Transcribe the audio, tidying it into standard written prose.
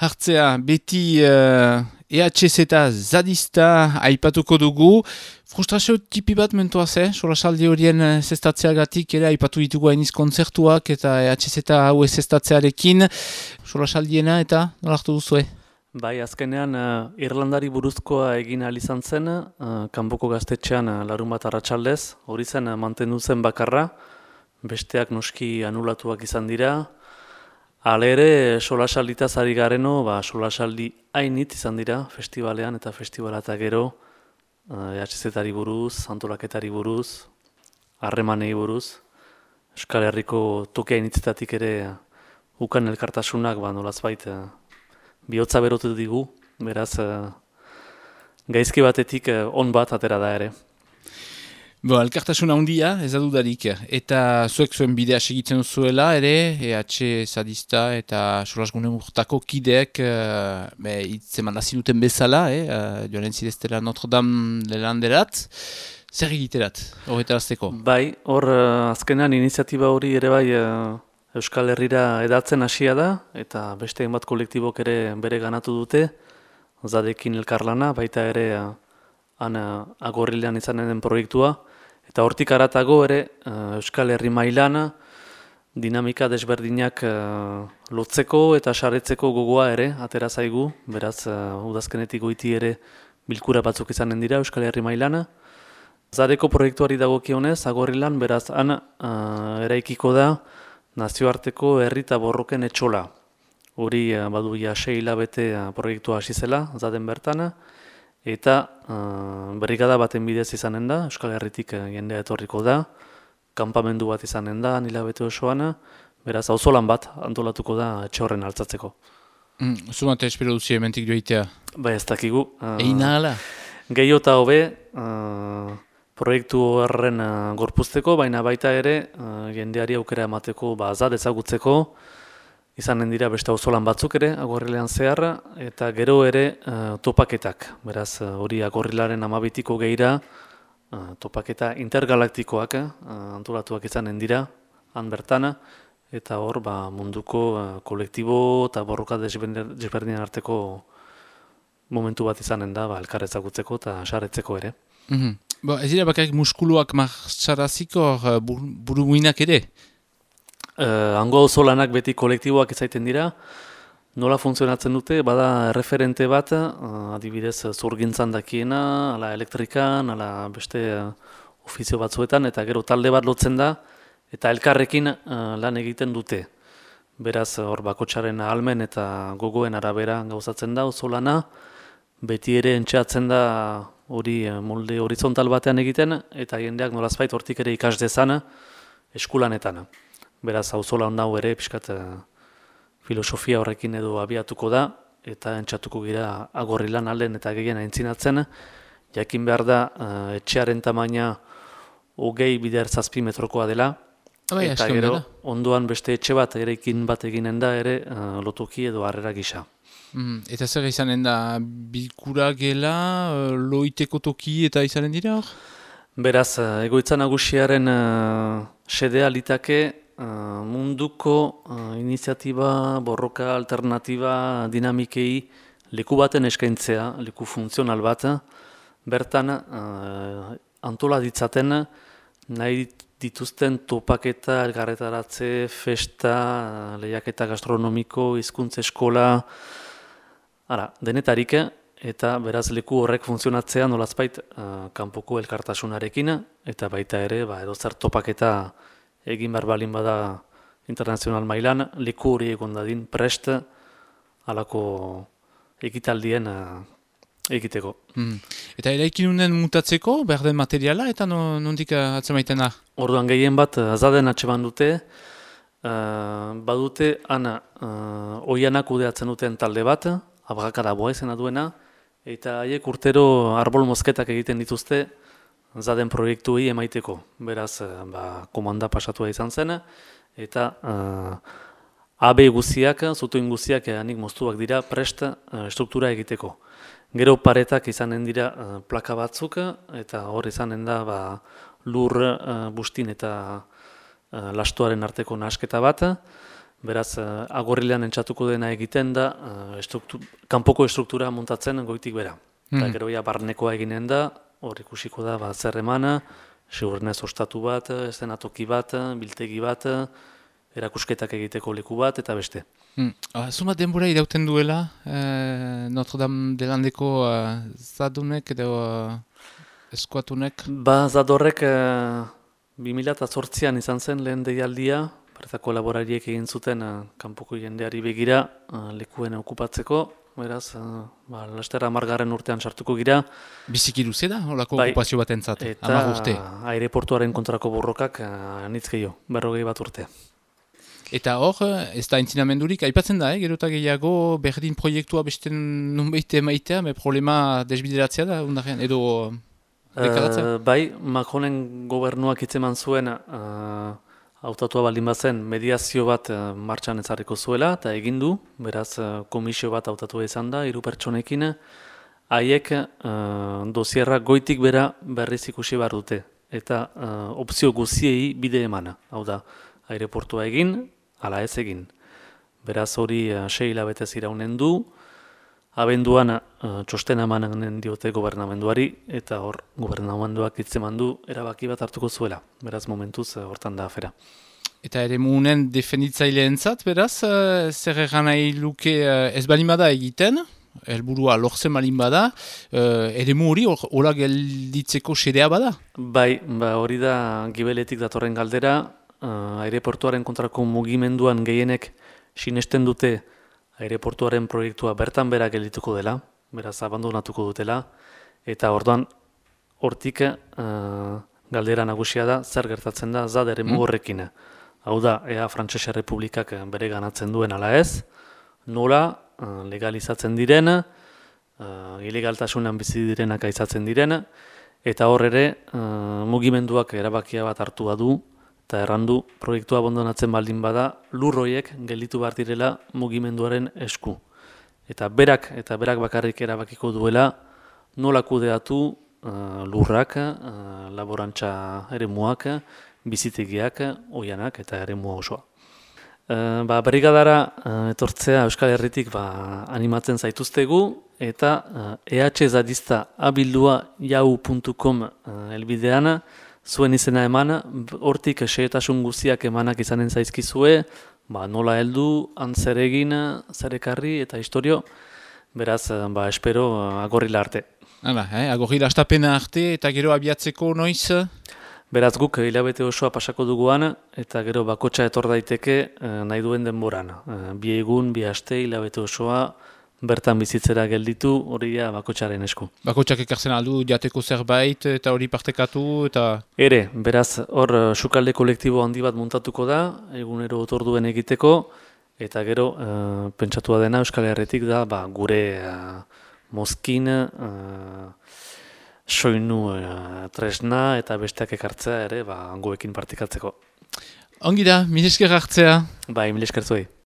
hartzea beti EHZ eta zadista aipatuko dugu. Frustrazio tipi bat mentua solasaldi horien zestatzeagatik ere aipatu ditugu hainiz kontzertuak eta EHZ hau zestatzearekin. Solasaldiena eta nolartu duzue? Bai, azkenean Irlandari buruzkoa egin ahal izan zen, kanpoko gaztetxean larun bat arratsaldez, hori zen mantendu zen bakarra, besteak noski anulatuak izan dira. Hala ere, solasalditaz ari gareno, solasaldi hainit izan dira festivalean eta festivala eta gero, EHZ-ari buruz, antolaketari buruz, harremanei buruz, Euskal Herriko toki hainitzetatik ere ukan elkartasunak nolazbait bihotza berotu digu, beraz gaizki batetik on bat atera da ere. Elkartasuna handia, ez adudarik, eta zuek zuen bidea segitzen zuela ere, EH Zadista eta Solasgune urtako kideek hitzeman hasi duten bezala, joan zideztela Notre Dame lelanderat, zer egiterat, horretarazteko? Bai, hor azkenean iniziatiba hori ere bai Euskal Herrira edatzen hasia da, eta beste hainbat kolektibok ere bere ganatu dute, Zadekin elkarlana, baita ere Agorrilean izanen den proiektua, eta hortik haratago ere Euskal Herri mailan dinamika desberdinak lotzeko eta saretzeko gogoa ere atera zaigu, beraz udazkenetik goiti ere bilkura batzuk izanen dira Euskal Herri mailan. Zadeko proiektuari dagokionez, Agorrilan, beraz eraikiko da nazioarteko herri eta borroken etxola. Hori badu 6 hilabete proiektua hasi zela, Zaden bertan, eta brigada baten bidez izanen da, Euskal Herritik jendea etorriko da, kanpamendu bat izanen da, hilabete osoan, beraz auzolan bat antolatuko da etxe horren altzatzeko. Zumate espero duzi ementik joitea? Bai, ez dakigu. Eina ala? Gehiago eta hobe, proiektu horren gorpuzteko, baina baita ere jendeari aukera emateko Zad ezagutzeko, izanen dira beste auzolan batzuk ere, Agorrilean zehar, eta gero ere topaketak. Beraz, hori Agorrilaren 12-tiko gehira, topaketa intergalaktikoak antolatuak izanen dira, han bertan, eta hor munduko kolektibo eta borroka desberdinen arteko momentu bat izanen da, elkar ezagutzeko eta saretzeko ere. Ez dira bakarrik muskuluak martxaraziko buruguinak ere? Hango auzolanak beti kolektiboak izaiten dira, nola funtzionatzen dute, bada referente bat, adibidez zurgintzan dakiena, ala elektrikan, ala beste ofizio batzuetan, eta gero talde bat lotzen da, eta elkarrekin lan egiten dute. Beraz, hor bakotsaren ahalmen eta gogoen arabera gauzatzen da auzolana, beti ere entxeatzen da hori molde horizontal batean egiten, eta jendeak nolazbait hortik ere ikas dezan eskulanetan. Beraz, auzola hau ere pixkat filosofia horrekin edo abiatuko da, eta entxatuko gira Agorrilan alden eta gehien aintzinatzen. Jakin behar da, etxearen tamaina 20-7 metrokoa dela, eta gero ondoan beste etxe bat eraikin bat eginen da ere lotoki edo harrera gisa. Eta zer izanen da bilkura gela, loiteko toki eta izanen dira hor? Beraz, egoitza nagusiaren xedea litake munduko iniziatiba, borroka, alternatiba, dinamikei leku baten eskaintzea, leku funtzional bat, bertan antola ditzaten nahi dituzten topaketa, elgarretaratze, festa, lehiaketa gastronomiko, hizkuntza eskola, denetarik, eta beraz leku horrek funtzionatzea nolazbait kanpoko elkartasunarekin, eta baita ere edozer topaketa egin behar balin bada internazional mailan, leku hori egon dadin prest halako ekitaldien egiteko. Eta eraikinunen mutatzeko, behar den materiala, eta nondik atzemaiten da? Orduan gehien bat Zaden atseman dute, badute oianak kudeatzen duten talde bat, Abrakada boa izena duena, eta haiek urtero arbol mozketak egiten dituzte Zaden proiektuei emaiteko. Beraz, komanda pasatua izan zen, eta AB guziak, zutoin guziak anik moztuak dira prest struktura egiteko. Gero paretak izanen dira plaka batzuk, eta hor izanen da lur, bustin eta lastoaren arteko nahasketa bat. Beraz, agorrilean entxatuko dena egiten da, kanpoko estruktura montatzen goitik bera. Eta gero ja barnekoa eginen da, hor ikusiko da zer emana, segurnez ostatu bat, eszenatoki bat, biltegi bat, erakusketak egiteko leku bat, eta beste. Zumat denbora irauten duela, Notre Dame de Landeko zadunek edo eskuatunek? Zadorrek 2008an izan zen lehen deialdia, bertako laborariek egin zuten kanpoko jendeari begira lekuen okupatzeko, beraz, laster 10. urtean sartuko gira. Biziki luze da, holako okupazio bat entzat, 10 urte. Eta aireportuaren kontrako borrokak anitz gehiago, 40 urte. Eta hor, ez da entzinamendurik, aipatzen da, gero eta gehiago berdin proiektua beste nunbait emaitea, problema desbideratzea da, undarrean, edo dekaratzea? Bai, Macronen gobernuak hitzeman zuen hautatua baldin bazen mediazio bat martxan ezarriko zuela, eta egin du, beraz komisio bat hautatua izan da, 3 pertsonekin, haiek dosierra goitik bera berriz ikusi behar dute, eta opzio guziei bide emana, hau da, aireportua egin, ala ez egin. Beraz hori 6 hilabetez iraunen du, abenduan txostena emanen diote gobernamenduari, eta hor gobernamenduak hitzeman du erabaki bat hartuko zuela. Beraz momentuz hortan da afera. Eta ere munen defenditzaileentzat, beraz, zer egan nahi luke ez balin bada egiten, helburua lortzen balin bada, ere hori hola gelditzeko xedea bada? Bai, hori da gibeletik datorren galdera, aireportuaren kontrako mugimenduan gehienek sinesten dute aireportuaren proiektua bertan bera geldituko dela, beraz abandonatuko dutela, eta orduan hortik galdera nagusia da zer gertatzen da ZAD eremu horrekin. Hau da, ea Frantsesa Errepublikak bere ganatzen duen ala ez, nola legalizatzen diren, ilegaltasunan bizi direnak aizatzen diren, eta hor ere mugimenduak erabakia bat hartu badu, eta errandu proiektua abandonatzen baldin bada lurroiek gelditu behar direla mugimenduaren esku. Eta berak bakarrik erabakiko duela nola kudeatu lurrak, laborantza eremuak, bizitegiak, oianak eta eremua osoa. Brigadara etortzea Euskal Herritik animatzen zaituztegu eta ehzadista abildua yahoo.com helbidean zuen izena eman, hortik xehetasun guziak emanak izanen zaizkizue, nola heldu, zer egin, zer ekarri eta historio, beraz, espero agorrila arte. Hala, agorrila astapena arte eta gero abiatzeko noiz? Beraz guk hilabete osoa pasako duguan eta gero bakotxa etor daiteke nahi duen denboran. 2 egun, 2 aste, hilabete osoa, bertan bizitzera gelditu, hori bakotxaren esku. Bakotxak ekartzen aldu, jateko zerbait eta hori partekatu eta... Ere, beraz, hor sukalde kolektibo handi bat muntatuko da, egunero otorduen egiteko, eta gero pentsatua dena Euskal Herritik da gure mozkin, soinu tresna eta besteak ekartzea ere goekin partikatzeko. Ongi da, mil esker hartzea. Mil esker zuei.